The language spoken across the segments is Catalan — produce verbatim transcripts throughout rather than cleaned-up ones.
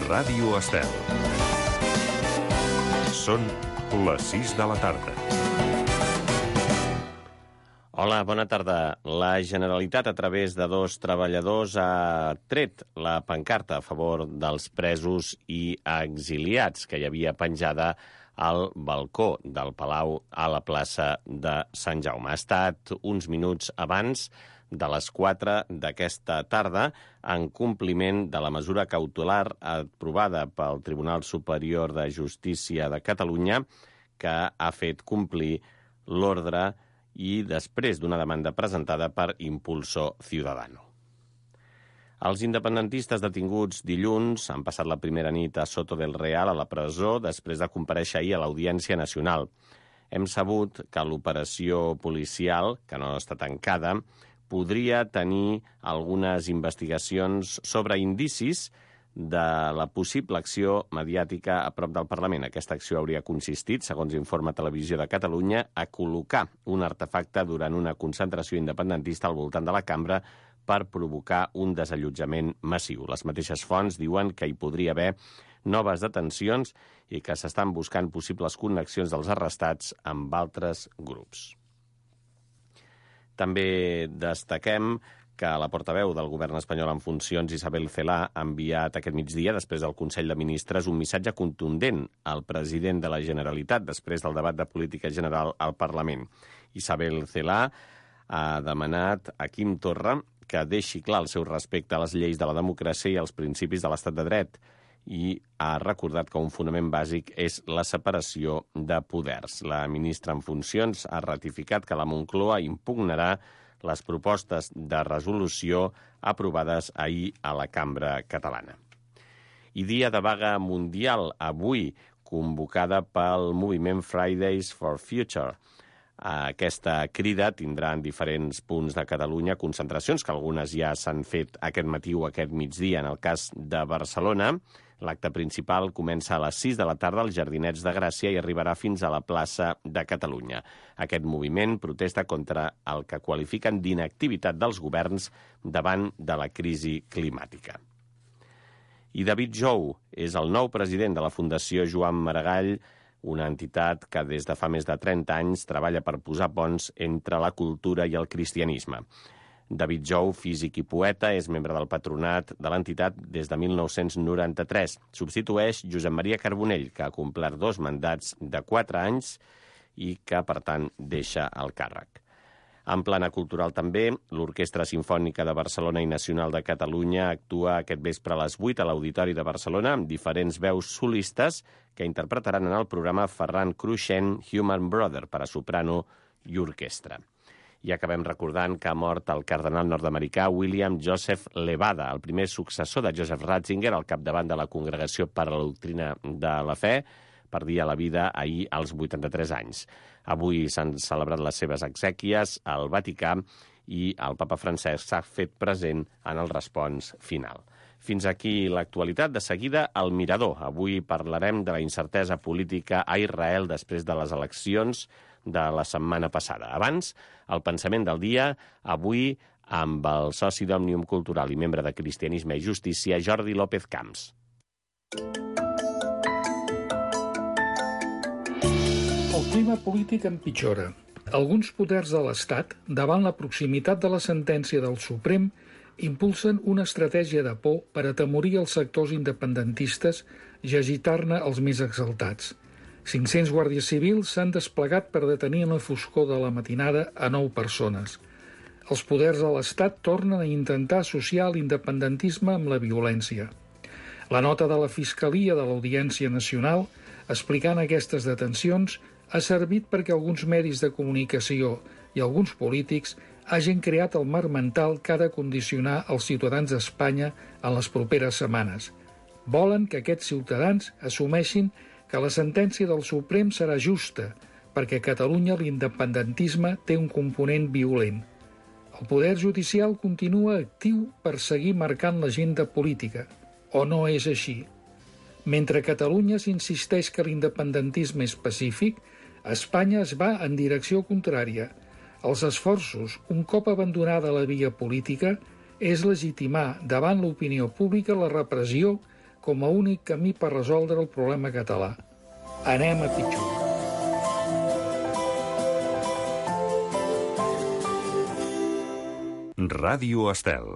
Ràdio Estel. Són les sis de la tarda. Hola, bona tarda. La Generalitat, a través de dos treballadors, ha tret la pancarta a favor dels presos i exiliats que hi havia penjada al balcó del Palau a la plaça de Sant Jaume. Ha estat uns minuts abans de les quatre d'aquesta tarda, en compliment de la mesura cautelar aprovada pel Tribunal Superior de Justícia de Catalunya, que ha fet complir l'ordre i després d'una demanda presentada per Impulso Ciudadano. Els independentistes detinguts dilluns han passat la primera nit a Soto del Real, a la presó, després de comparèixer ahir a l'Audiència Nacional. Hem sabut que l'operació policial, que no està tancada, podria tenir algunes investigacions sobre indicis de la possible acció mediàtica a prop del Parlament. Aquesta acció hauria consistit, segons informa Televisió de Catalunya, a col·locar un artefacte durant una concentració independentista al voltant de la cambra per provocar un desallotjament massiu. Les mateixes fonts diuen que hi podria haver noves detencions i que s'estan buscant possibles connexions dels arrestats amb altres grups. També destaquem que la portaveu del govern espanyol en funcions, Isabel Celaá, ha enviat aquest migdia, després del Consell de Ministres, un missatge contundent al president de la Generalitat després del debat de política general al Parlament. Isabel Celaá ha demanat a Quim Torra que deixi clar el seu respecte a les lleis de la democràcia i als principis de l'estat de dret, i ha recordat que un fonament bàsic és la separació de poders. La ministra en funcions ha ratificat que la Moncloa impugnarà les propostes de resolució aprovades ahir a la Cambra Catalana. I dia de vaga mundial avui, convocada pel moviment Fridays for Future. Aquesta crida tindrà en diferents punts de Catalunya concentracions, que algunes ja s'han fet aquest matí o aquest migdia. En el cas de Barcelona, l'acte principal comença a les sis de la tarda als Jardinets de Gràcia i arribarà fins a la plaça de Catalunya. Aquest moviment protesta contra el que qualifiquen d'inactivitat dels governs davant de la crisi climàtica. I David Jou és el nou president de la Fundació Joan Maragall, una entitat que des de fa més de trenta anys treballa per posar ponts entre la cultura i el cristianisme. David Jou, físic i poeta, és membre del patronat de l'entitat des de mil nou-cents noranta-tres. Substitueix Josep Maria Carbonell, que ha complert dos mandats de quatre anys i que, per tant, deixa el càrrec. En plana cultural també, l'Orquestra Simfònica de Barcelona i Nacional de Catalunya actua aquest vespre a les vuit a l'Auditori de Barcelona amb diferents veus solistes que interpretaran en el programa Ferran Cruixent, Human Brother, per a soprano i orquestra. I acabem recordant que ha mort el cardenal nord-americà William Joseph Levada, el primer successor de Joseph Ratzinger al capdavant de la Congregació per a la Doctrina de la Fe. Perdia la vida ahir als vuitanta-tres anys. Avui s'han celebrat les seves exèquies al Vaticà i el papa Francesc s'ha fet present en el respons final. Fins aquí l'actualitat. De seguida, el Mirador. Avui parlarem de la incertesa política a Israel després de les eleccions de la setmana passada. Abans, el pensament del dia, avui amb el soci d'Òmnium Cultural i membre de Cristianisme i Justícia, Jordi López Camps. El clima polític empitjora. Alguns poders de l'Estat, davant la proximitat de la sentència del Suprem, impulsen una estratègia de por per atemorir els sectors independentistes i agitar-ne els més exaltats. cinc-cents guàrdies civils s'han desplegat per detenir en la foscor de la matinada a nou persones. Els poders de l'Estat tornen a intentar associar l'independentisme amb la violència. La nota de la Fiscalia de l'Audiència Nacional, explicant aquestes detencions, ha servit perquè alguns medis de comunicació i alguns polítics hagin creat el marc mental que ha de condicionar els ciutadans d'Espanya en les properes setmanes. Volen que aquests ciutadans assumeixin que la sentència del Suprem serà justa, perquè a Catalunya l'independentisme té un component violent. El poder judicial continua actiu per seguir marcant l'agenda política, o no és així? Mentre a Catalunya s'insisteix que l'independentisme és pacífic, a Espanya es va en direcció contrària. Els esforços, un cop abandonada la via política, és legitimar davant l'opinió pública la repressió com a únic camí per resoldre el problema català. Anem a pitjor. Ràdio Estel.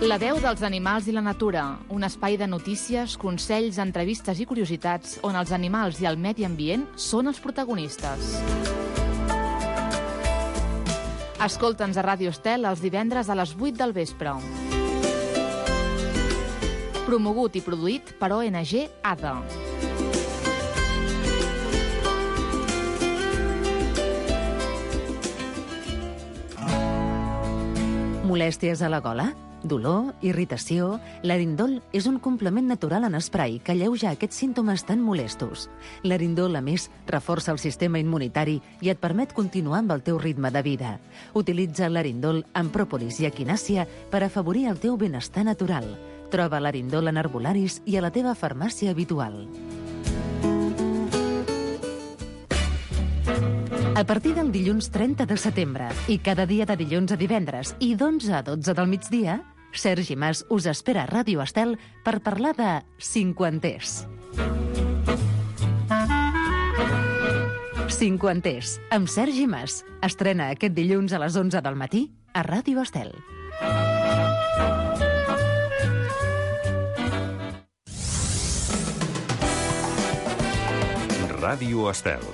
La veu dels animals i la natura, un espai de notícies, consells, entrevistes i curiositats on els animals i el medi ambient són els protagonistes. Escolta'ns a Ràdio Estel els divendres a les vuit del vespre. Promogut i produït per O N G A D A. Molèsties a la gola? Dolor, irritació... L'Arindol és un complement natural en esprai que alleuja aquests símptomes tan molestos. L'Arindol, a més, reforça el sistema immunitari i et permet continuar amb el teu ritme de vida. Utilitza l'Arindol amb pròpolis i equinàcia per afavorir el teu benestar natural. Troba l'Arindol en herbolaris i a la teva farmàcia habitual. A partir del dilluns trenta de setembre i cada dia de dilluns a divendres i d'onze a dotze del migdia, Sergi Mas us espera a Ràdio Estel per parlar de cinquanters. Cinquanters, amb Sergi Mas. Estrena aquest dilluns a les onze del matí a Ràdio Estel. Ràdio Estel.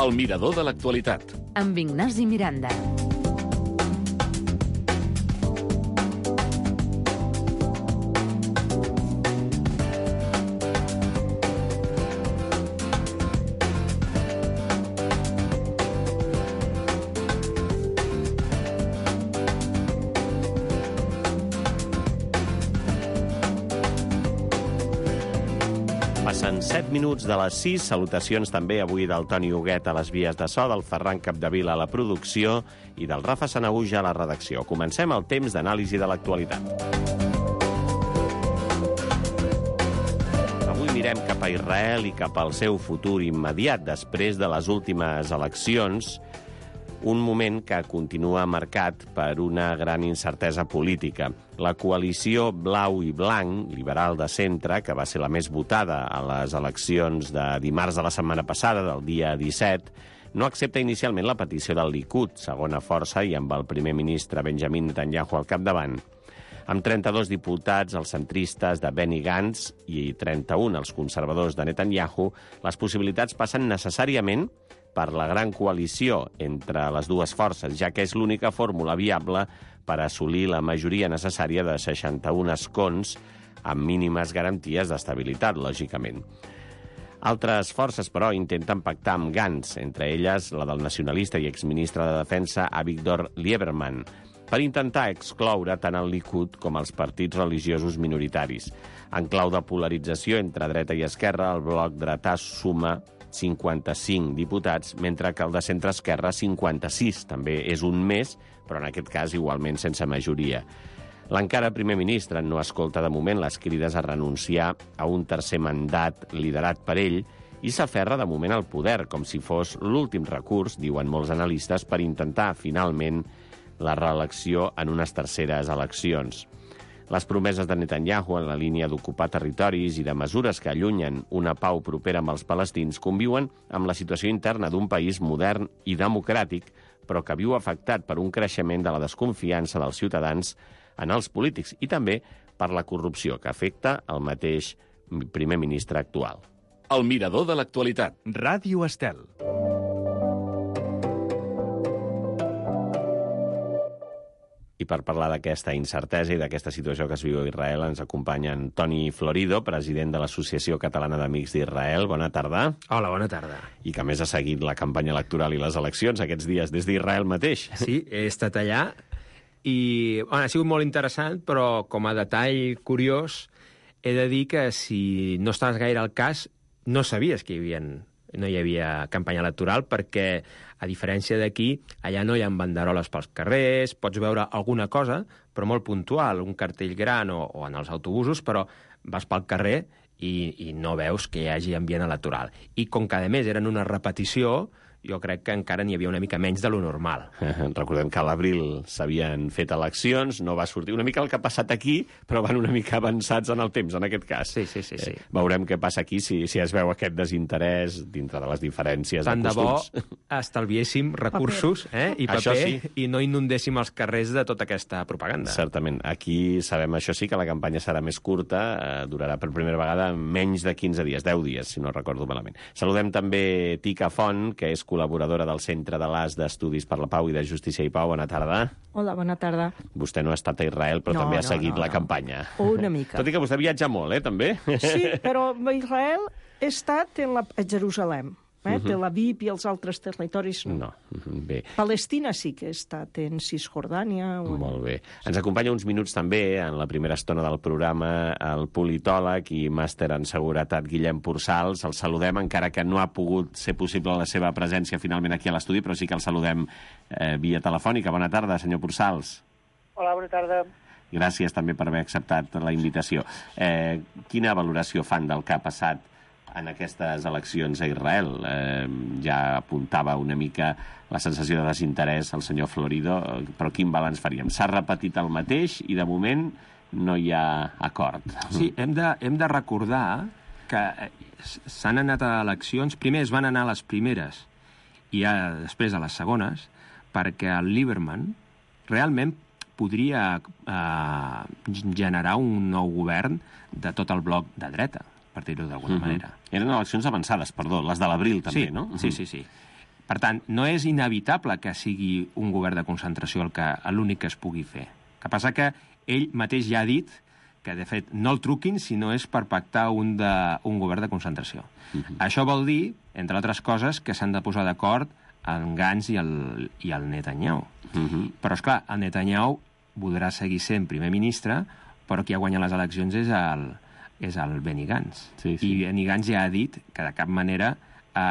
El mirador de l'actualitat. Amb Ignasi Miranda. Passen set minuts de les sis. Salutacions també avui del Toni Huguet a les vies de so, del Ferran Capdevila a la producció i del Rafa Sanahuja a la redacció. Comencem el temps d'anàlisi de l'actualitat. Avui mirem cap a Israel i cap al seu futur immediat després de les últimes eleccions, un moment que continua marcat per una gran incertesa política. La coalició blau i blanc, liberal de centre, que va ser la més votada a les eleccions de dimarts de la setmana passada, del dia disset, no accepta inicialment la petició del Likud, segona força, i amb el primer ministre Benjamin Netanyahu al capdavant. Amb trenta-dos diputats, els centristes de Benny Gantz, i trenta-un els conservadors de Netanyahu, les possibilitats passen necessàriament per la gran coalició entre les dues forces, ja que és l'única fórmula viable per assolir la majoria necessària de seixanta-un escons amb mínimes garanties d'estabilitat, lògicament. Altres forces, però, intenten pactar amb Gantz, entre elles la del nacionalista i exministre de Defensa Avigdor Lieberman, per intentar excloure tant el Likud com els partits religiosos minoritaris. En clau de polarització entre dreta i esquerra, el bloc dretà suma cinquanta-cinc diputats, mentre que el de centre-esquerra cinquanta-sis. També és un més, però en aquest cas igualment sense majoria. L'encara primer ministre no escolta de moment les crides a renunciar a un tercer mandat liderat per ell i s'aferra de moment al poder, com si fos l'últim recurs, diuen molts analistes, per intentar finalment la reelecció en unes terceres eleccions. Les promeses de Netanyahu en la línia d'ocupar territoris i de mesures que allunyen una pau propera amb els palestins conviuen amb la situació interna d'un país modern i democràtic, però que viu afectat per un creixement de la desconfiança dels ciutadans en els polítics i també per la corrupció que afecta el mateix primer ministre actual. El mirador de l'actualitat. Ràdio Estel. I per parlar d'aquesta incertesa i d'aquesta situació que es viu a Israel ens acompanyen Toni Florido, president de l'Associació Catalana d'Amics d'Israel. Bona tarda. Hola, bona tarda. I que a més ha seguit la campanya electoral i les eleccions aquests dies des d'Israel mateix. Sí, he estat allà i bueno, ha sigut molt interessant, però com a detall curiós he de dir que si no estaves gaire al cas no sabies que hi havia no hi havia campanya electoral perquè, a diferència d'aquí, allà no hi ha banderoles pels carrers, pots veure alguna cosa, però molt puntual, un cartell gran o, o en els autobusos, però vas pel carrer i, i no veus que hi hagi ambient electoral. I com que, a més, eren una repetició, jo crec que encara n'hi havia una mica menys de lo normal. Recordem que a l'abril s'havien fet eleccions, no va sortir una mica el que ha passat aquí, però van una mica avançats en el temps, en aquest cas. Sí, sí, sí. sí. Eh, veurem què passa aquí, si, si es veu aquest desinterès dintre de les diferències Tant de de bo costums. estalviéssim recursos eh, i Això paper sí. i no inundéssim els carrers de tota aquesta propaganda. Certament. Aquí sabem, això sí, que la campanya serà més curta, eh, durarà per primera vegada menys de quinze dies, deu dies, si no recordo malament. Saludem també Tica Font, que és col·laboradora del Centre de l'A S d'Estudis per la Pau i de Justícia i Pau. Bona tarda. Hola, bona tarda. Vostè no ha estat a Israel, però No, també ha no, seguit no, la no. campanya. Una mica. Tot i que vostè viatja molt, eh, també? Sí, però a Israel he estat en la, a Jerusalem. Eh? Mhm. Tel Aviv i els altres territoris no. No, bé. Palestina sí que he estat en Cisjordània. O en... Molt bé. Ens acompanya uns minuts també, en la primera estona del programa, el politòleg i màster en seguretat Guillem Pursals. El saludem, encara que no ha pogut ser possible la seva presència finalment aquí a l'estudi, però sí que el saludem eh, via telefònica. Bona tarda, senyor Pursals. Hola, bona tarda. Gràcies també per haver acceptat la invitació. Eh, quina valoració fan del que ha passat en aquestes eleccions a Israel? Eh, ja apuntava una mica la sensació de desinterès al senyor Florido, però quin balanç faríem? S'ha repetit el mateix i, de moment, no hi ha acord. Sí, hem de, hem de recordar que s'han anat a eleccions, primer es van anar a les primeres i ja després a les segones, perquè el Lieberman realment podria eh, generar un nou govern de tot el bloc de dreta, per dir-ho d'alguna Mhm. manera. Eren eleccions avançades, perdó, les de l'abril també, sí, no? Sí, sí, sí. Per tant, no és inevitable que sigui un govern de concentració el que l'únic que es pugui fer. El que passa que ell mateix ja ha dit que, de fet, no el truquin si no és per pactar un, de, un govern de concentració. Uh-huh. Això vol dir, entre altres coses, que s'han de posar d'acord en Gantz i el, i el Netanyahu. Uh-huh. Però, esclar, el Netanyahu voldrà seguir sent primer ministre, però qui ha guanyat les eleccions és el, és el Benny Gantz. Sí, sí. I Benny Gantz ja ha dit que de cap manera eh,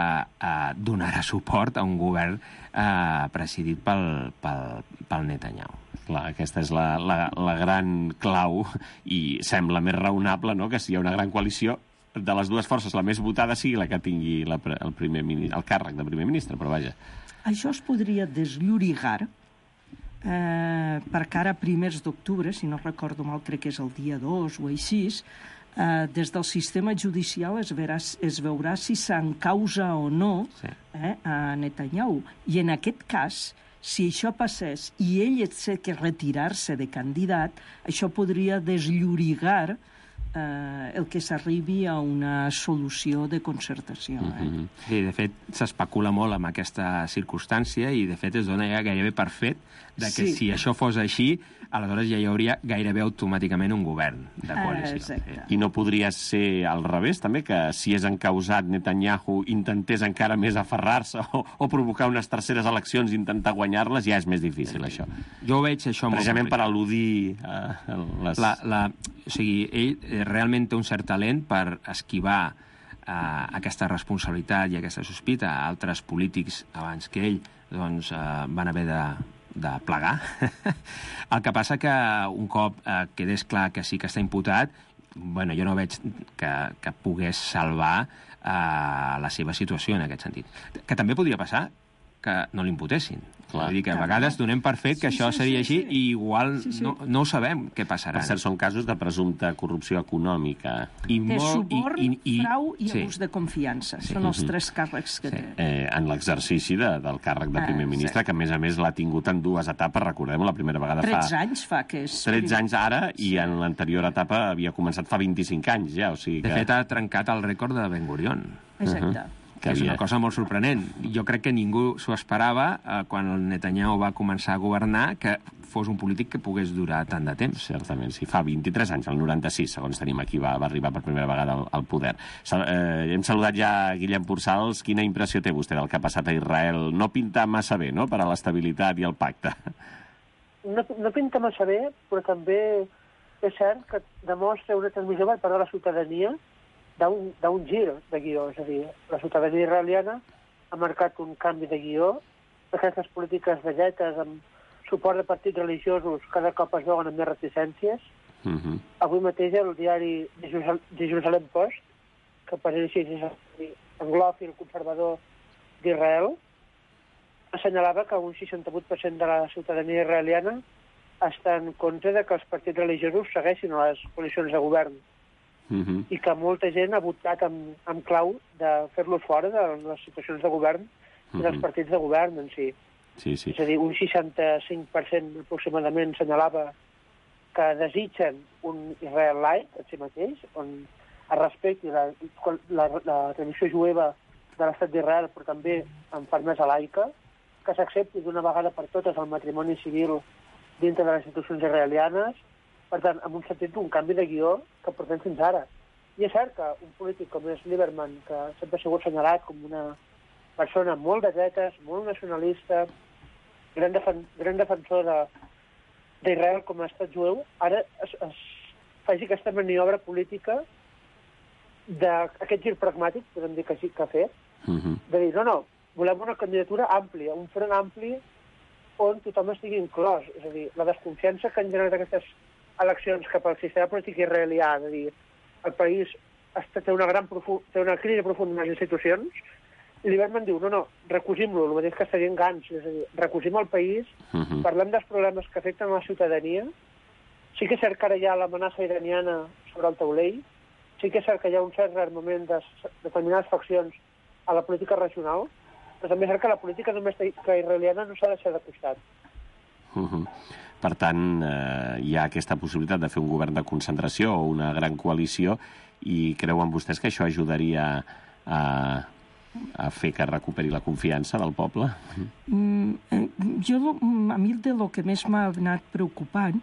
eh, donarà suport a un govern eh, presidit pel, pel, pel Netanyahu. Clar, aquesta és la, la, la gran clau i sembla més raonable, no?, que si hi ha una gran coalició de les dues forces, la més votada sigui la que tingui la, el, primer, el càrrec de primer ministre, però vaja. Això es podria desllorigar eh, perquè ara primers d'octubre, si no recordo mal, crec que és el dia dos o així, eh, des del sistema judicial es, verà, es veurà si s'encausa o no Sí. eh, a Netanyahu. I en aquest cas, si això passés i ell té que retirar-se de candidat, això podria desllorigar eh, el que s'arribi a una solució de concertació. Eh? Mm-hmm. Sí, de fet, s'especula molt amb aquesta circumstància i, de fet, es dona ja gairebé per fet de que Sí. si això fos així, aleshores ja hi hauria gairebé automàticament un govern de coalició. Eh, exacte. I no podria ser al revés, també, que si és encausat Netanyahu intentés encara més aferrar-se o, o provocar unes terceres eleccions i intentar guanyar-les, ja és més difícil, això. Jo ho veig això molt Precisament per complicat. al·ludir eh, les... La, la, o sigui, ell eh, realment té un cert talent per esquivar eh, aquesta responsabilitat i aquesta sospita. Altres polítics abans que ell doncs, eh, van haver de, de plegar. El que passa que un cop eh, quedés clar que sí que està imputat, bueno, jo no veig que, que pogués salvar eh, la seva situació en aquest sentit. Que també podria passar que no l'imputessin. Clar. Vull dir que a Clar. vegades donem per fet que Sí, això sí, seria sí, així sí. i igual Sí, sí. No, no ho sabem què passarà. Per cert, són casos de presumpta corrupció econòmica. I De suborn, i, i, frau i sí. abús de confiança. Sí. Són els Mhm. tres càrrecs que Sí. té. Eh, en l'exercici de, del càrrec de primer Ah, ministre, sí. que a més a més l'ha tingut en dues etapes, recordem, la primera vegada tretze fa anys fa que és... tretze anys ara, i en l'anterior etapa havia començat fa vint-i-cinc anys ja, o sigui que... De fet, ha trencat el rècord de Ben Gurion, Exacte. que és una cosa molt sorprenent. Jo crec que ningú s'ho esperava eh, quan el Netanyahu va començar a governar, que fos un polític que pogués durar tant de temps. Certament, sí. Fa vint-i-tres anys, el noranta-sis, segons tenim aquí, va, va arribar per primera vegada al, al poder. Sal, eh, hem saludat ja Guillem Pursals. Quina impressió té vostè del que ha passat a Israel? No pinta massa bé, no?, per a l'estabilitat i el pacte. No, no pinta massa bé, però també és cert que demostra una transmissió per part de la ciutadania d'un gir de guió. És a dir, la ciutadania israeliana ha marcat un canvi de guió. Aquestes polítiques de dretes amb suport de partits religiosos cada cop es veuen amb més reticències. Uh-huh. Avui mateix el diari de Jerusalem Post, que per ell així és anglòfil conservador d'Israel, assenyalava que un seixanta-vuit per cent de la ciutadania israeliana està en contra de que els partits religiosos segueixin a les coalicions de govern. Uh-huh. I que molta gent ha votat amb, amb clau de fer-los fora de les situacions de govern i uh-huh. dels partits de govern en si. Sí, sí. És a dir, un seixanta-cinc per cent aproximadament assenyalava que desitgen un Israel light en si mateix, on es respecti la, la, la tradició jueva de l'estat d'Israel, però també amb fermesa laica, que s'accepti d'una vegada per totes el matrimoni civil dintre de les institucions israelianes, per tant, en un sentit d'un canvi de guió que portem fins ara. I és cert que un polític com és Lieberman, que sempre ha sigut assenyalat com una persona molt de dretes, molt nacionalista, gran, defen gran defensor de d'Israel com a estat jueu, ara es, es faci aquesta maniobra política d'aquest gir pragmàtic, podem dir que sí que ha fet, uh-huh. de dir, no, no, volem una candidatura àmplia, un front ampli on tothom estigui inclòs. És a dir, la desconfiança que han generat aquestes eleccions cap al sistema polític israelià, és a dir, el país està, té, una gran té una crisi profunda en les institucions, i Lieberman diu, no, no, recusim-lo, el mateix que està dient Gantz, és a dir, recusim el país, uh-huh. parlem dels problemes que afecten a la ciutadania. Sí que és cert que ara hi ha l'amenaça iraniana sobre el taulell, sí que és cert que hi ha un cert rearmament de determinades faccions a la política regional, però també és cert que la política domèstica israeliana no s'ha deixat de costat. Uh-huh. Per tant, eh, hi ha aquesta possibilitat de fer un govern de concentració o una gran coalició, i creuen vostès que això ajudaria a... a fer que recuperi la confiança del poble? Mm, jo, a mi de lo que més m'ha anat preocupant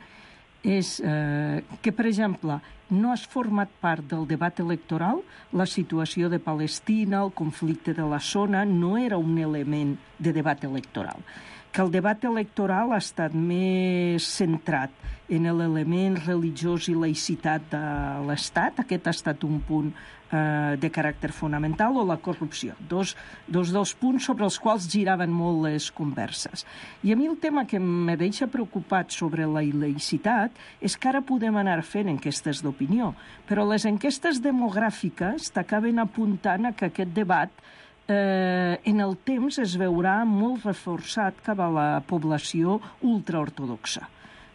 és eh, que, per exemple, no has format part del debat electoral, la situació de Palestina, el conflicte de la zona, no era un element de debat electoral. Que el debat electoral ha estat més centrat en l'element religiós i laïcitat de l'Estat. Aquest ha estat un punt eh, de caràcter fonamental, o la corrupció. Dos, dos dels punts sobre els quals giraven molt les converses. I a mi el tema que me deixa preocupat sobre la laïcitat és que ara podem anar fent enquestes d'opinió, però les enquestes demogràfiques t'acaben apuntant a que aquest debat Eh, en el temps es veurà molt reforçat cap a la població ultraortodoxa,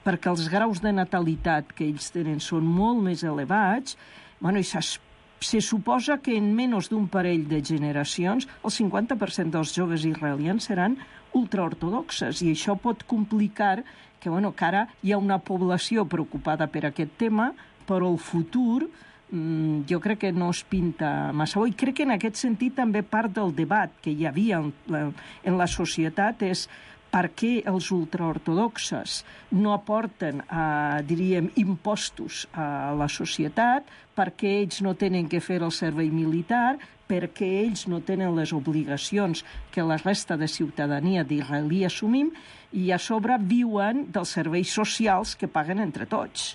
perquè els graus de natalitat que ells tenen són molt més elevats, bueno, i se suposa que en menys d'un parell de generacions el cinquanta per cent dels joves israelians seran ultraortodoxes, i això pot complicar que, bueno, que ara hi ha una població preocupada per aquest tema, però el futur jo crec que no es pinta massa bo, i crec que en aquest sentit també part del debat que hi havia en la, en la societat és per què els ultraortodoxes no aporten, eh, diríem, impostos a la societat, per què ells no tenen que fer el servei militar, per què ells no tenen les obligacions que la resta de ciutadania d'israelí assumim, i a sobre viuen dels serveis socials que paguen entre tots.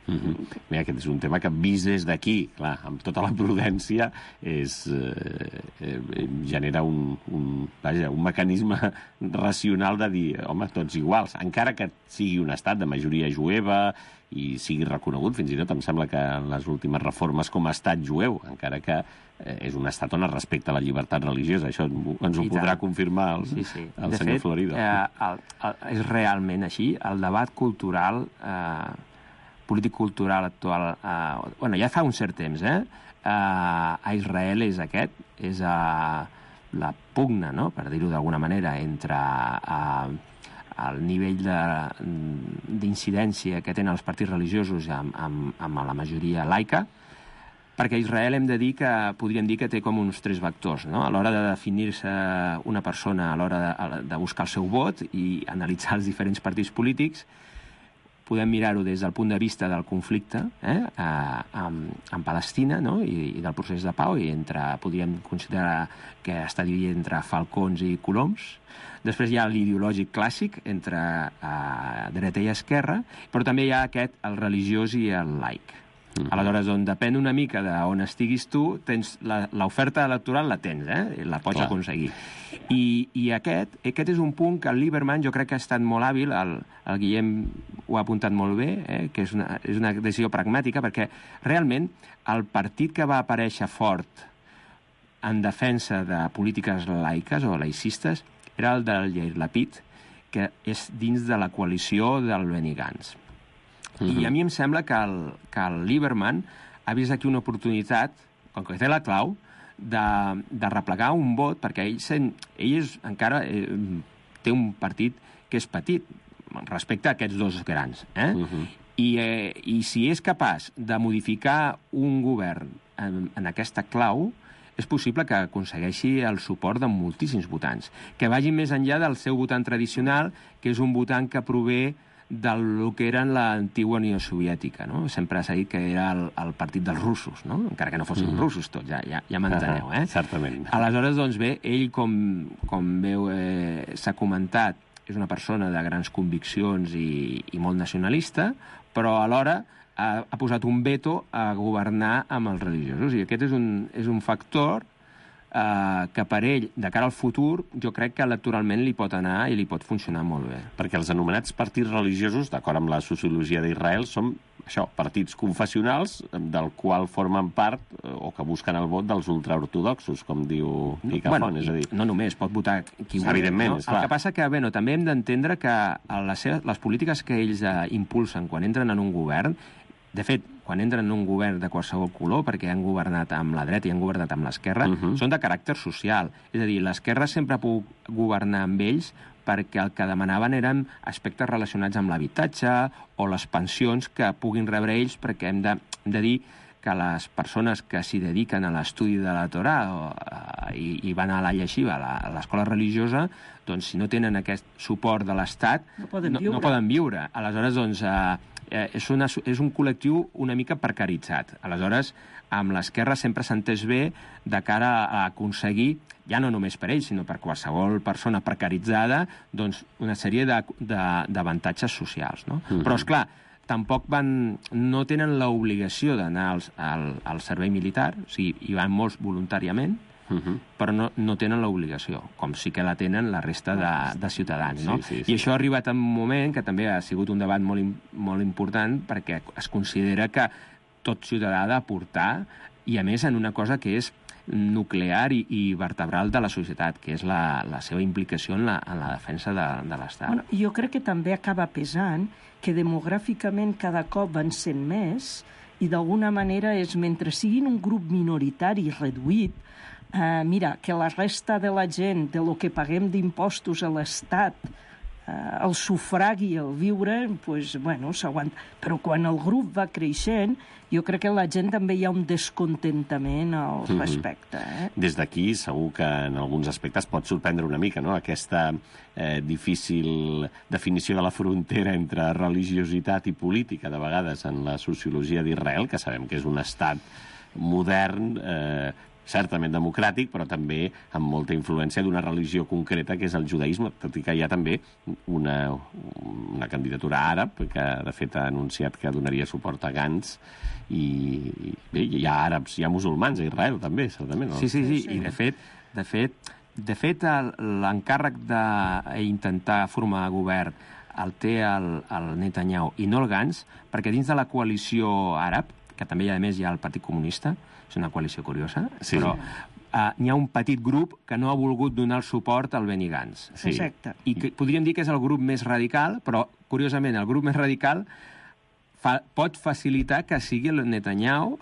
Mm-hmm. Bé, aquest és un tema que vist des d'aquí, clar, amb tota la prudència, és, eh, eh, genera un, un, vaja, un mecanisme racional de dir, home, tots iguals, encara que sigui un estat de majoria jueva i sigui reconegut, fins i tot em sembla que en les últimes reformes com a estat jueu, encara que eh, és un estat on es respecta la llibertat religiosa. Això ens ho podrà confirmar el, sí, sí. el senyor fet, Florido. Eh, el, el, és realment així. El debat cultural... Eh, polític-cultural actual, eh, bueno, ja fa un cert temps, eh? Eh, a Israel és aquest, és eh, la pugna, no?, per dir-ho d'alguna manera, entre eh, el nivell d'incidència que tenen els partits religiosos amb, amb, amb la majoria laica, perquè Israel hem de dir que, podríem dir que té com uns tres vectors, no?, a l'hora de definir-se una persona, a l'hora de, de buscar el seu vot i analitzar els diferents partits polítics. Podem mirar-ho des del punt de vista del conflicte eh, amb, amb Palestina, no?, I, i del procés de pau, i entre, podríem considerar que està dividit entre falcons i coloms. Després hi ha l'ideològic clàssic entre eh, dreta i esquerra, però també hi ha aquest, el religiós i el laic. Mm. Aleshores, on depèn una mica d'on estiguis tu, tens l'oferta electoral la tens, eh? La pots Clar. aconseguir. I, i aquest, aquest és un punt que el Lieberman jo crec que ha estat molt hàbil, el, el Guillem ho ha apuntat molt bé, eh? que és una, és una decisió pragmàtica, perquè realment el partit que va aparèixer fort en defensa de polítiques laiques o laicistes era el del Yair Lapid, que és dins de la coalició del Benny Gantz. I a mi em sembla que el, que el Lieberman ha vist aquí una oportunitat, com que té la clau, de, de replegar un vot, perquè ell, sent, ell és, encara eh, té un partit que és petit respecte a aquests dos grans. Eh? Uh -huh. I, eh, I si és capaç de modificar un govern en, en aquesta clau, és possible que aconsegueixi el suport de moltíssims votants, que vagin més enllà del seu votant tradicional, que és un votant que prové del que era l'antiga Unió Soviètica, no? Sempre s'ha dit que era el, el partit dels russos, no? Encara que no fossin mm. russos tots, ja, ja, ja m'enteneu, eh? Certament. Aleshores, doncs bé, ell, com, com veu, eh, s'ha comentat, és una persona de grans conviccions i, i molt nacionalista, però alhora ha, ha posat un veto a governar amb els religiosos, i aquest és un, és un factor Uh, que per ell, de cara al futur, jo crec que electoralment li pot anar i li pot funcionar molt bé. Perquè els anomenats partits religiosos, d'acord amb la sociologia d'Israel, són això, partits confessionals del qual formen part o que busquen el vot dels ultraortodoxos, com diu Icafont, bueno, és a dir... No només, pot votar qui vulgui. Evidentment, no? és clar. El que passa que, bueno, també hem d'entendre que les, seves, les polítiques que ells uh, impulsen quan entren en un govern, de fet, quan entren en un govern de qualsevol color, perquè han governat amb la dreta i han governat amb l'esquerra, uh -huh. són de caràcter social. És a dir, l'esquerra sempre ha pogut governar amb ells perquè el que demanaven eren aspectes relacionats amb l'habitatge o les pensions que puguin rebre ells, perquè hem de, hem de dir que les persones que s'hi dediquen a l'estudi de la Torà o, uh, i, i van a la lleixiva, a l'escola religiosa, doncs si no tenen aquest suport de l'Estat, no poden no, viure. No poden viure. Aleshores, doncs... Uh, És, una, és un col·lectiu una mica precaritzat. Aleshores, amb l'esquerra sempre s'ha entès bé de cara a aconseguir, ja no només per ells, sinó per qualsevol persona precaritzada, doncs una sèrie d'avantatges socials. No? Mm-hmm. Però, esclar, tampoc van, no tenen l'obligació d'anar al, al, al servei militar, o sigui, hi van molts voluntàriament, Uh-huh. però no, no tenen l'obligació, com sí que la tenen la resta de, de ciutadans. No? Sí, sí, sí. I això ha arribat en un moment que també ha sigut un debat molt, molt important, perquè es considera que tot ciutadà ha d'aportar, i a més en una cosa que és nuclear i, i vertebral de la societat, que és la, la seva implicació en la, en la defensa de, de l'Estat. Bueno, jo crec que també acaba pesant que demogràficament cada cop van sent més, i d'alguna manera és, mentre siguin un grup minoritari reduït, Uh, mira, que la resta de la gent, de lo que paguem d'impostos a l'Estat, uh, el sufragi, el viure, pues, bueno, s'aguanta. Però quan el grup va creixent, jo crec que la gent també hi ha un descontentament al mm-hmm. respecte. Eh? Des d'aquí, segur que en alguns aspectes pot sorprendre una mica, no?, aquesta eh, difícil definició de la frontera entre religiositat i política, de vegades, en la sociologia d'Israel, que sabem que és un estat modern, eh, certament democràtic, però també amb molta influència d'una religió concreta, que és el judaïsme, tot i que hi ha també una, una candidatura àrab, que de fet ha anunciat que donaria suport a Gantz, i, i bé, hi ha àrabs, hi ha musulmans a Israel, també, certament. No? Sí, sí, sí, i de fet, de fet, de fet l'encàrrec d'intentar formar govern el té el, el Netanyahu i no el Gantz, perquè dins de la coalició àrab, que també a més hi ha el Partit Comunista, és una coalició curiosa, sí. però uh, n'hi ha un petit grup que no ha volgut donar el suport al Benny Gantz. Sí. Exacte. I que, podríem dir que és el grup més radical, però, curiosament, el grup més radical fa, pot facilitar que sigui el Netanyahu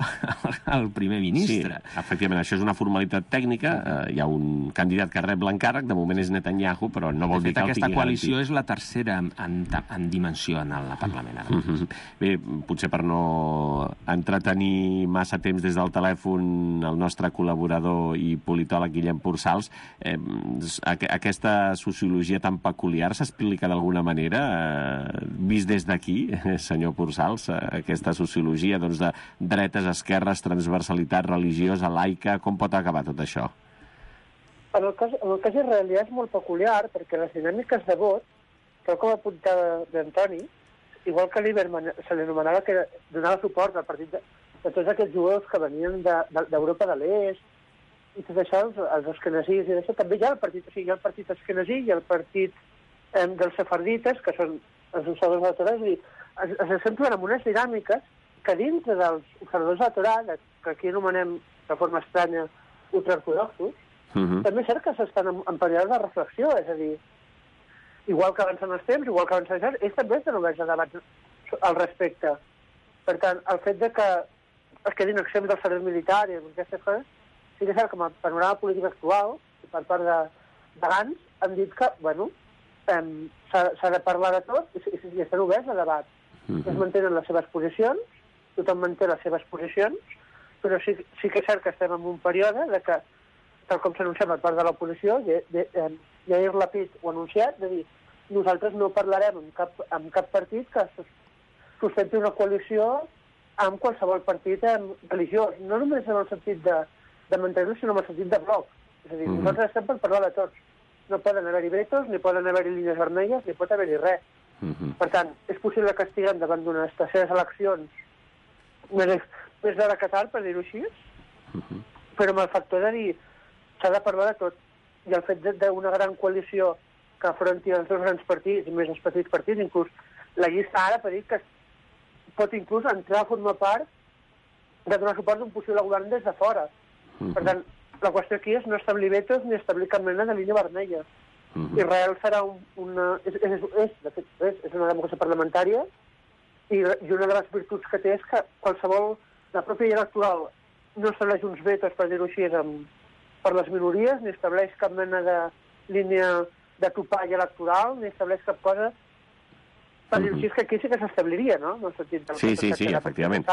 el primer ministre. Sí, efectivament, això és una formalitat tècnica. Uh, hi ha un candidat que rep l'encàrrec, de moment és Netanyahu, però no vol de fet, dir que el tingui aquesta coalició garantit. És la tercera en, en, en dimensió en el Parlament. Ara. Mm-hmm. Bé, potser per no entretenir massa temps des del telèfon el nostre col·laborador i politòleg Guillem Pursals, eh, aquesta sociologia tan peculiar s'explica d'alguna manera, eh, vist des d'aquí, senyor Pursals, aquesta sociologia doncs, de dretes, esquerres, transversalitat religiosa, laica, com pot acabar tot això? En el cas, en el cas israelià és molt peculiar, perquè les dinàmiques de vot, tal com apuntava d'Antoni, igual que Lieberman se li anomenava que donava suport al partit de, de tots aquests jueus que venien d'Europa de, de, de l'Est, i tot això, els, els esquenazis i això, també hi ha el partit, o sigui, hi ha el partit esquenazí i el partit eh, dels sefardites, que són els observadors de la Torà, és a dir, es, es acentuen en unes dinàmiques que dintre dels observadors de la Torà, que aquí anomenem de forma estranya ultraortodoxos, uh-huh. també és cert que s'estan en, en període de reflexió, és a dir, igual que avancen els temps, igual que avancen els anys, ells també estan oberts a debats al respecte. Per tant, el fet de que es quedin exempts del servei militar i aquestes coses, sí que és cert que amb el panorama polític actual, per part de, de Gans, han dit que, bueno, eh, s'ha de parlar de tot i, i, i estan oberts a debat. Mm-hmm. Es mantenen les seves posicions, tothom manté les seves posicions, però sí, sí que és cert que estem en un període de que, tal com s'ha anunciat per part de l'oposició, Yair Lapid ho ha anunciat, de dir, nosaltres no parlarem amb cap, amb cap partit que sustenti una coalició amb qualsevol partit religiós, no només en el sentit de de mantenir-lo, sinó en el sentit de bloc. És a dir, mm-hmm. nosaltres estem per parlar de tots. No poden haver-hi vetos, ni poden haver-hi línies vermelles, ni pot haver-hi res. Mm-hmm. Per tant, és possible que estiguem davant d'unes terceres eleccions més, més de la Qatar, per dir-ho així, mm-hmm. però amb el factor de dir s'ha de parlar de tot. I el fet d'una gran coalició que afronti els dos grans partits, i més els petits partits, inclús la llista ara per dir que pot inclús entrar a formar part de donar suport d'un possible govern des de fora. Uh-huh. Per tant, la qüestió aquí és no establir vetos ni establir cap mena de línia vermella. Uh-huh. Israel serà un, una... És, és, és, de fet, és, és una democràcia parlamentària i, i una de les virtuts que té és que qualsevol... La pròpia llei electoral no estableix uns vetos, per dir-ho així, amb, per les minories, ni estableix cap mena de línia de topall electoral, ni estableix cap cosa... Per dir-ho així, és que aquí sí que s'establiria, no? En el sentit del sí, sí, sí, efectivament.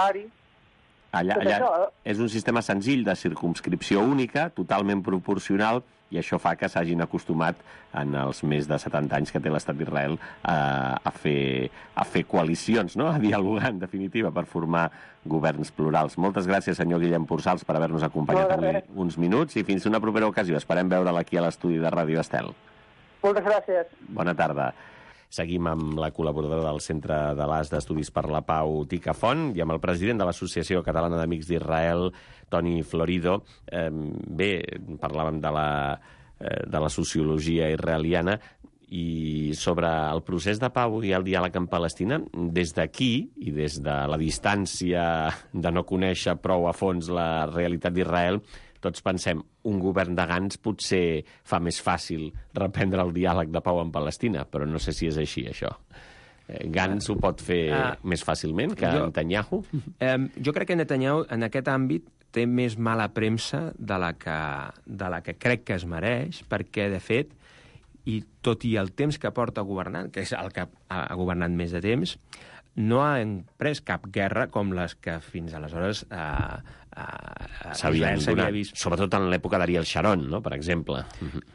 Allà, allà és un sistema senzill de circumscripció única, totalment proporcional, i això fa que s'hagin acostumat en els més de setanta anys que té l'estat d'Israel a, a, fer, a fer coalicions, no? A dialogar, en definitiva, per formar governs plurals. Moltes gràcies, senyor Guillem Pursals, per haver-nos acompanyat avui uns minuts, i fins una propera ocasió. Esperem veure'l aquí a l'estudi de Ràdio Estel. Moltes gràcies. Bona tarda. Seguim amb la col·laboradora del Centre de l'As d'Estudis per la Pau, Tica Font, i amb el president de l'Associació Catalana d'Amics d'Israel, Toni Florido. Eh, bé, parlàvem de la, eh, de la sociologia israeliana i sobre el procés de pau i el diàleg amb Palestina. Des d'aquí, i des de la distància de no conèixer prou a fons la realitat d'Israel, tots pensem, un govern de Gantz potser fa més fàcil reprendre el diàleg de pau amb Palestina, però no sé si és així, això. Gantz ho pot fer uh, més fàcilment que jo, Netanyahu? Eh, jo crec que Netanyahu, en aquest àmbit, té més mala premsa de la que, de la que crec que es mereix, perquè, de fet, i tot i el temps que porta governant, que és el que ha governat més de temps, no ha pres cap guerra com les que fins aleshores eh, eh, s'havien vist. Sobretot en l'època d'Ariel Sharon, no?, per exemple.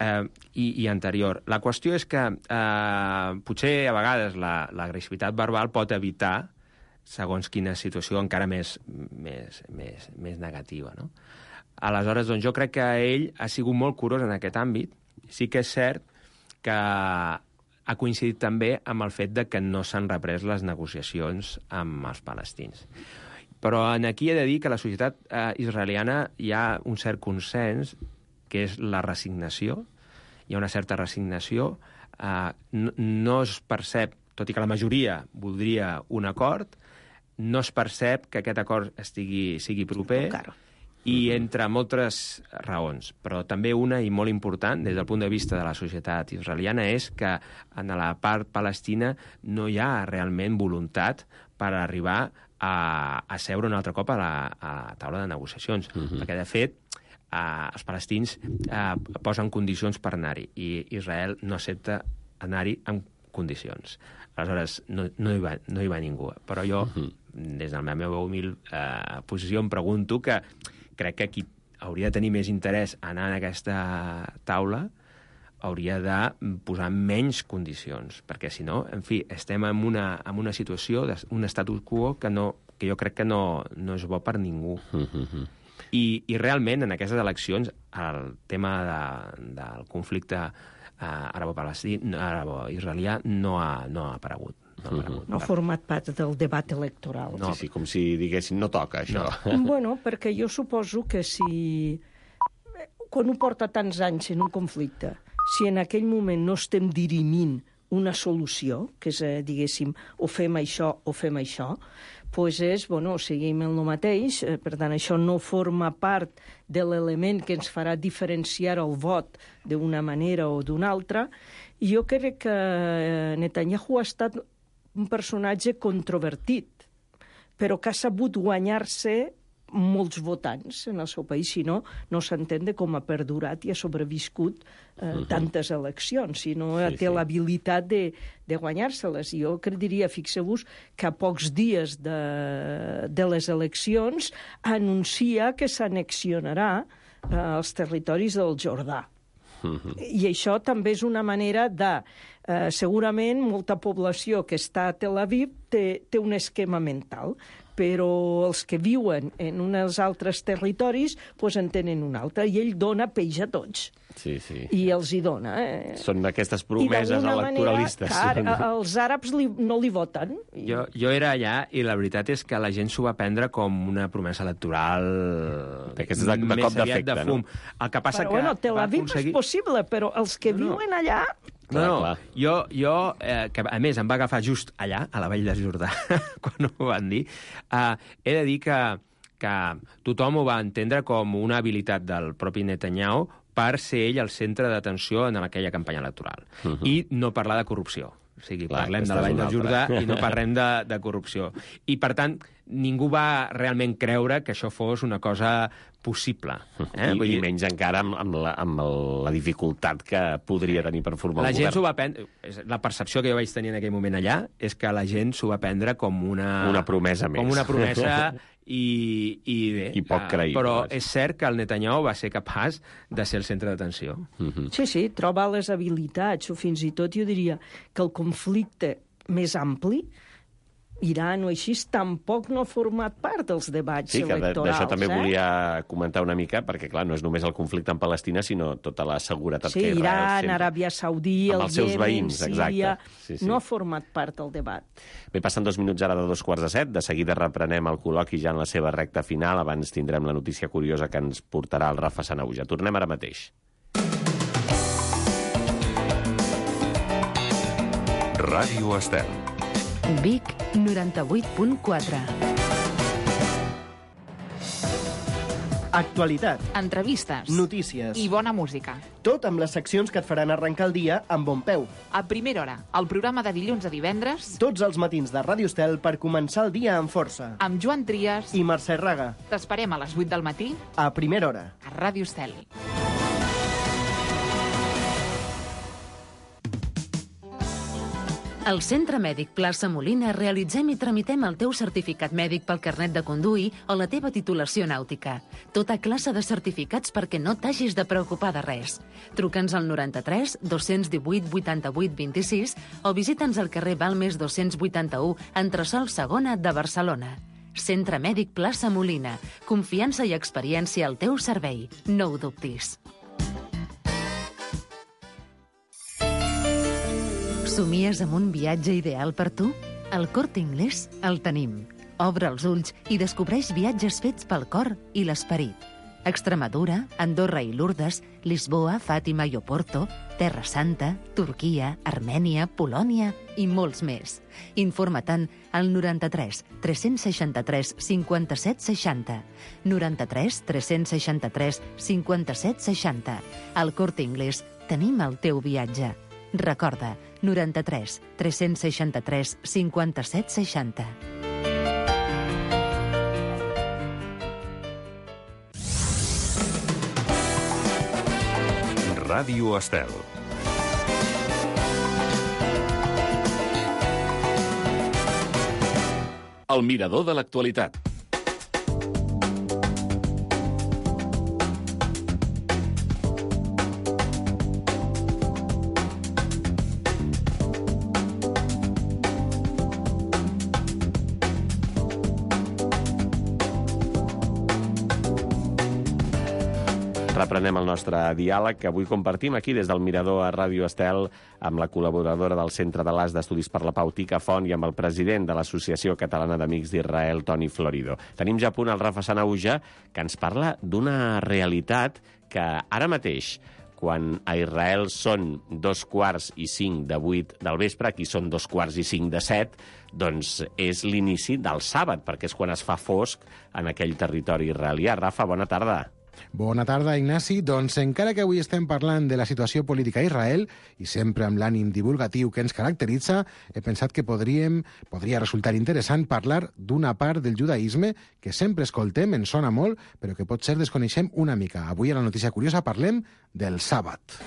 Eh, i, I anterior. La qüestió és que eh, potser a vegades l'agressivitat verbal pot evitar segons quina situació encara més, més, més, més negativa, no? Aleshores, doncs, jo crec que ell ha sigut molt curós en aquest àmbit. Sí que és cert que ha coincidit també amb el fet de que no s'han reprès les negociacions amb els palestins. Però aquí he de dir que a la societat eh, israeliana hi ha un cert consens, que és la resignació. Hi ha una certa resignació. Eh, no, no es percep, tot i que la majoria voldria un acord, no es percep que aquest acord estigui, sigui proper, i entre moltes raons. Però també una, i molt important, des del punt de vista de la societat israeliana, és que en la part palestina no hi ha realment voluntat per arribar a, a seure un altre cop a la, a la taula de negociacions. Uh-huh. Perquè, de fet, eh, els palestins eh, posen condicions per anar-hi, i Israel no accepta anar-hi amb condicions. Aleshores, no, no, hi va, no hi va ningú. Però jo, uh-huh. des de la meva humil eh, posició, em pregunto que crec que qui hauria de tenir més interès a anar en aquesta taula hauria de posar menys condicions, perquè si no, en fi, estem en una, en una situació, un status quo que, no, que jo crec que no, no és bo per ningú. Uh-huh. I, I realment, en aquestes eleccions, el tema de, del conflicte eh, arabo-palestí, arabo-israelià no ha, no ha aparegut. No, Mhm. no ha format part del debat electoral. No. Sí, sí, com si diguessin no toca, això. No. Bueno, perquè jo suposo que si... Quan ho porta tants anys en un conflicte, si en aquell moment no estem dirimint una solució, que és, eh, diguéssim, o fem això o fem això, doncs és, bueno, seguim el mateix, eh, per tant, això no forma part de l'element que ens farà diferenciar el vot d'una manera o d'una altra. I jo crec que eh, Netanyahu ha estat un personatge controvertit, però que ha sabut guanyar-se molts votants en el seu país, si no, no s'entén de com ha perdurat i ha sobreviscut eh, uh-huh. tantes eleccions, si no sí, té sí. l'habilitat de, de guanyar-se-les. Jo diria, fixeu-vos, que a pocs dies de, de les eleccions anuncia que s'annexionarà eh, els territoris del Jordà. Uh-huh. I això també és una manera de... Eh, segurament molta població que està a Tel Aviv té, té un esquema mental, però els que viuen en uns altres territoris pues, en tenen un altre, i ell dona peix a tots. Sí, sí. I els hi dona. Eh? Són aquestes promeses electoralistes. Manera, clar, els àrabs li, no li voten. I... Jo, jo era allà i la veritat és que la gent s'ho va prendre com una promesa electoral és de, de cop d'efecte, de fum. No? El que passa però, que bueno, Tel Aviv aconseguir... és possible, però els que no, viuen allà... No, no, clar. jo, jo eh, que a més em va agafar just allà, a la Vall de Jordà, quan ho van dir, eh, he de dir que, que tothom ho va entendre com una habilitat del propi Netanyahu per ser ell el centre d'atenció en aquella campanya electoral. Uh-huh. I no parlar de corrupció. O sigui, clar, parlem de la Vall del Jordà i no parlem de, de corrupció. I, per tant, ningú va realment creure que això fos una cosa possible. Eh? I, Vull dir... I menys encara amb, amb, la, amb la dificultat que podria tenir per formar la el gent govern. s'ho va prendre... La percepció que jo vaig tenir en aquell moment allà és que la gent s'ho va prendre com una... Una promesa més. Com una promesa i, i bé. I poc creïble. Però és cert que el Netanyahu va ser capaç de ser el centre d'atenció. Uh-huh. Sí, sí, troba les habilitats, o fins i tot jo diria que el conflicte més ampli, Iran o així, tampoc no ha format part dels debats sí, electorals. Sí, d'això també eh? volia comentar una mica, perquè, clar, no és només el conflicte en Palestina, sinó tota la seguretat sí, que Israel Iran, sempre... Aràbia Saudí, el Iemen, Síria... Sí, sí. No ha format part del debat. Bé, passen dos minuts ara de dos quarts de set. De seguida reprenem el col·loqui ja en la seva recta final. Abans tindrem la notícia curiosa que ens portarà el Rafa Sanauja. Tornem ara mateix. Ràdio Estel. Vic, noranta-vuit punt quatre. Actualitat, Entrevistes. notícies, I bona música. tot amb les seccions que et faran arrencar el dia amb bon peu. A primera hora, el programa de dilluns a divendres, Tots els matins de Ràdio Estel per començar el dia amb força. amb Joan Trias. I Mercè Raga, T'esperem a les vuit del matí a primera hora. a Ràdio Estel. Al Centre Mèdic Plaça Molina realitzem i tramitem el teu certificat mèdic pel carnet de conduir o la teva titulació nàutica. Tota classe de certificats perquè no t'hagis de preocupar de res. Truca'ns al noranta-tres dos-cents divuit vuitanta-vuit vint-i-sis o visita'ns al carrer Balmes dos-cents vuitanta-u, entresòl segona de Barcelona. Centre Mèdic Plaça Molina. Confiança i experiència al teu servei. No ho dubtis. Somies amb un viatge ideal per tu? Al Corte Inglés el tenim. Obre els ulls i descobreix viatges fets pel cor i l'esperit. Extremadura, Andorra i Lourdes, Lisboa, Fàtima i Oporto, Terra Santa, Turquia, Armènia, Polònia i molts més. Informa-te'n al noranta-tres tres-cents seixanta-tres cinquanta-set seixanta. noranta-tres tres-cents seixanta-tres cinquanta-set seixanta. Al Corte Inglés tenim el teu viatge. Recorda, noranta-tres tres-cents seixanta-tres cinquanta-set seixanta. Ràdio Estel. El mirador de l'actualitat. reprenem el nostre diàleg, que avui compartim aquí des del Mirador a Ràdio Estel amb la col·laboradora del Centre de l'As d'Estudis per la Pau, Tica Font, i amb el president de l'Associació Catalana d'Amics d'Israel, Toni Florido. Tenim ja a punt el Rafa Sanauja, que ens parla d'una realitat que ara mateix, quan a Israel són dos quarts i cinc de vuit del vespre, aquí són dos quarts i cinc de set, doncs és l'inici del sàbat, perquè és quan es fa fosc en aquell territori israelià. Rafa, bona tarda. Bona tarda, Ignasi. Doncs encara que avui estem parlant de la situació política a Israel, i sempre amb l'ànim divulgatiu que ens caracteritza, he pensat que podríem, podria resultar interessant parlar d'una part del judaïsme que sempre escoltem, ens sona molt, però que potser desconeixem una mica. Avui a la notícia curiosa parlem del sàbat.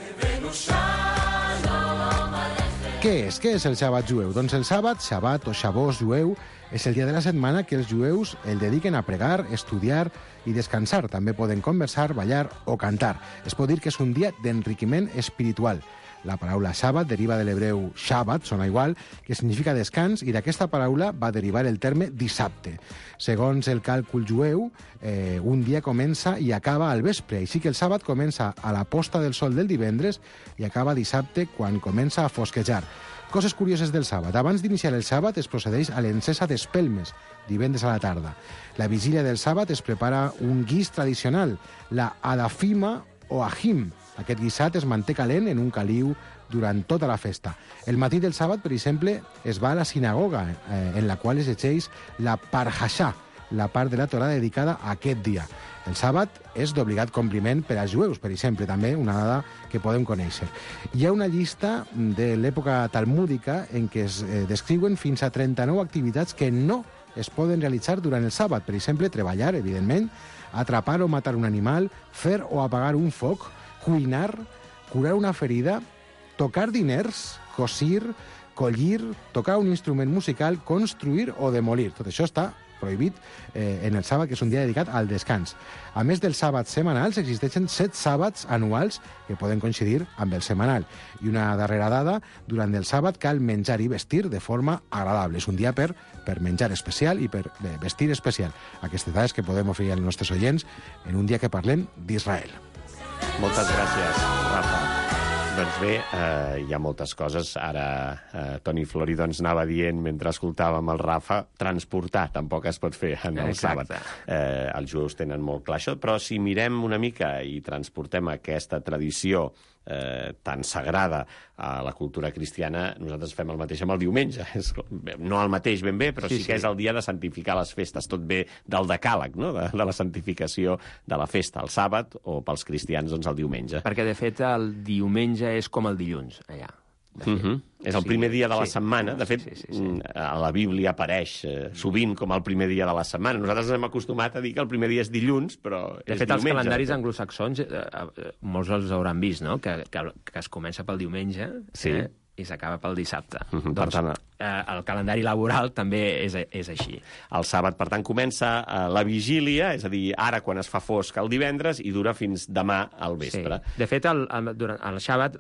Què és? Què és el sàbat jueu? Doncs el sàbat, Shabbat o Shabbos jueu, és el dia de la setmana que els jueus el dediquen a pregar, estudiar i descansar. També poden conversar, ballar o cantar. Es pot dir que és un dia d'enriquiment espiritual. La paraula sàbat deriva de l'hebreu Shabbat, sona igual, que significa descans, i d'aquesta paraula va derivar el terme dissabte. Segons el càlcul jueu, eh, un dia comença i acaba al vespre, així que el sàbat comença a la posta del sol del divendres i acaba dissabte quan comença a fosquejar. Coses curioses del sàbat. Abans d'iniciar el sàbat es procedeix a l'encesa d'espelmes, divendres a la tarda. La vigília del sàbat es prepara un guix tradicional, la adafima o ahim. Aquest guisat es manté calent en un caliu durant tota la festa. El matí del sàbat, per exemple, es va a la sinagoga, eh, en la qual es llegeix la Parhashà, la part de la Torà dedicada a aquest dia. El sàbat és d'obligat compliment per als jueus, per exemple, també una dada que podem conèixer. Hi ha una llista de l'època talmúdica en què es eh, descriuen fins a trenta-nou activitats que no es poden realitzar durant el sàbat. Per exemple, treballar, evidentment, atrapar o matar un animal, fer o apagar un foc, cuinar, curar una ferida, tocar diners, cosir, collir, tocar un instrument musical, construir o demolir. Tot això està prohibit eh, en el sàbat, que és un dia dedicat al descans. A més dels sàbats setmanals, existeixen set sàbats anuals que poden coincidir amb el setmanal. I una darrera dada, durant el sàbat cal menjar i vestir de forma agradable. És un dia per, per menjar especial i per eh, vestir especial. Aquestes dades que podem oferir als nostres oients en un dia que parlem d'Israel. Moltes gràcies, Rafa. Doncs bé, eh, hi ha moltes coses. Ara eh, Toni Florido ens anava dient, mentre escoltàvem el Rafa, transportar tampoc es pot fer en el Exacte. sàbat. Eh, els jueus tenen molt clar això, però si mirem una mica i transportem aquesta tradició eh, tan sagrada a la cultura cristiana, nosaltres fem el mateix amb el diumenge. És, no el mateix ben bé, però sí, sí, sí que és el dia de santificar les festes. Tot ve del decàleg, no? de, de la santificació de la festa, el sàbat, o pels cristians, doncs, el diumenge. Perquè, de fet, el diumenge és com el dilluns, allà. Uh -huh. És el primer dia de la sí. setmana. De fet, sí, sí, sí. a la Bíblia apareix eh, sovint com el primer dia de la setmana. Nosaltres ens hem acostumat a dir que el primer dia és dilluns, però de és fet, diumenge. Els calendaris anglosaxons, eh, eh, molts els hauran vist, no? que, que, que es comença pel diumenge, sí, eh? i s'acaba pel dissabte. Uh -huh. Doncs, per tant, eh, el calendari laboral també és, és així. El sàbat, per tant, comença eh, la vigília, és a dir, ara quan es fa fosc el divendres, i dura fins demà al vespre. Sí. De fet, el, el, durant el sàbat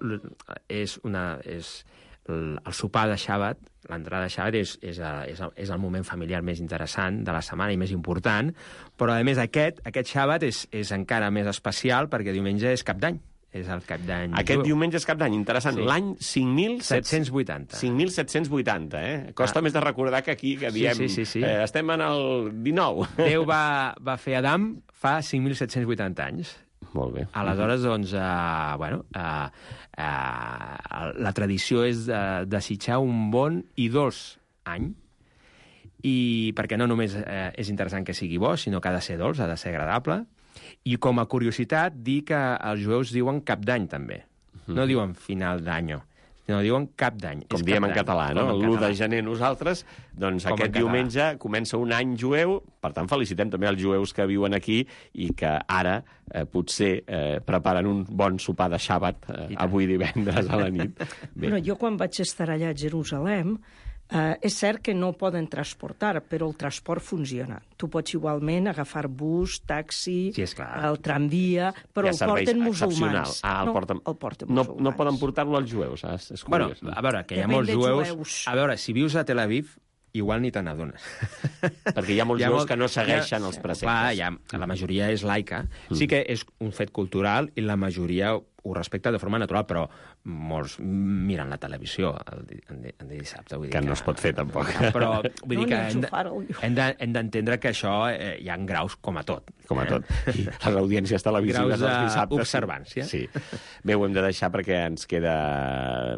és una... És, el, el sopar de Shabbat, l'entrada de Shabbat és, és, és, és el moment familiar més interessant de la setmana i més important, però a més aquest, aquest Shabbat és, és encara més especial perquè diumenge és cap d'any. És el cap d'any. Aquest diumenge és cap d'any, interessant. Sí. L'any cinc mil set-cents vuitanta. cinc mil set-cents vuitanta, eh? Costa ah. més de recordar que aquí, que diem, sí, sí, sí, sí. Eh, estem en el dinou. Déu va, va fer Adam fa cinc mil set-cents vuitanta anys. Molt bé. Aleshores, doncs, uh, bueno, uh, uh, la tradició és uh, desitjar un bon i dolç any, i perquè no només uh, és interessant que sigui bo, sinó que ha de ser dolç, ha de ser agradable, i com a curiositat, dir que els jueus diuen cap d'any, també. No diuen final d'any, no diuen cap d'any. Com diem en català, no? L'u de gener nosaltres, doncs com aquest diumenge comença un any jueu, per tant felicitem també els jueus que viuen aquí i que ara eh, potser eh, preparen un bon sopar de Shabbat eh, avui divendres a la nit. Bé. Bueno, jo quan vaig estar allà a Jerusalem, Uh, és cert que no poden transportar, però el transport funciona. Tu pots igualment agafar bus, taxi, sí, el tramvia, però el porten musulmans. Ah, el porten... No, el porten no, musulmans. no poden portar-lo als jueus. És, és bueno, a veure, que hi ha molts jueus... jueus. A veure, si vius a Tel Aviv, igual ni te n'adones. Perquè hi ha molts Hi ha jueus molt- que no segueixen hi ha- els preceptes. Clar, hi ha, la majoria és laica. Sí que és un fet cultural i la majoria ho respecta de forma natural, però molts miren la televisió el, di- el, di- el dissabte. Vull dir Que no es pot fer, tampoc. Però vull No, dir que ni hem de- enxufar-ho. hem de- hem d'entendre que això eh, hi ha graus com a tot. Com a eh? tot. I les audiències televisives Graus dels dissabtes. d'observància. Sí. Bé, ho hem de deixar perquè ens queda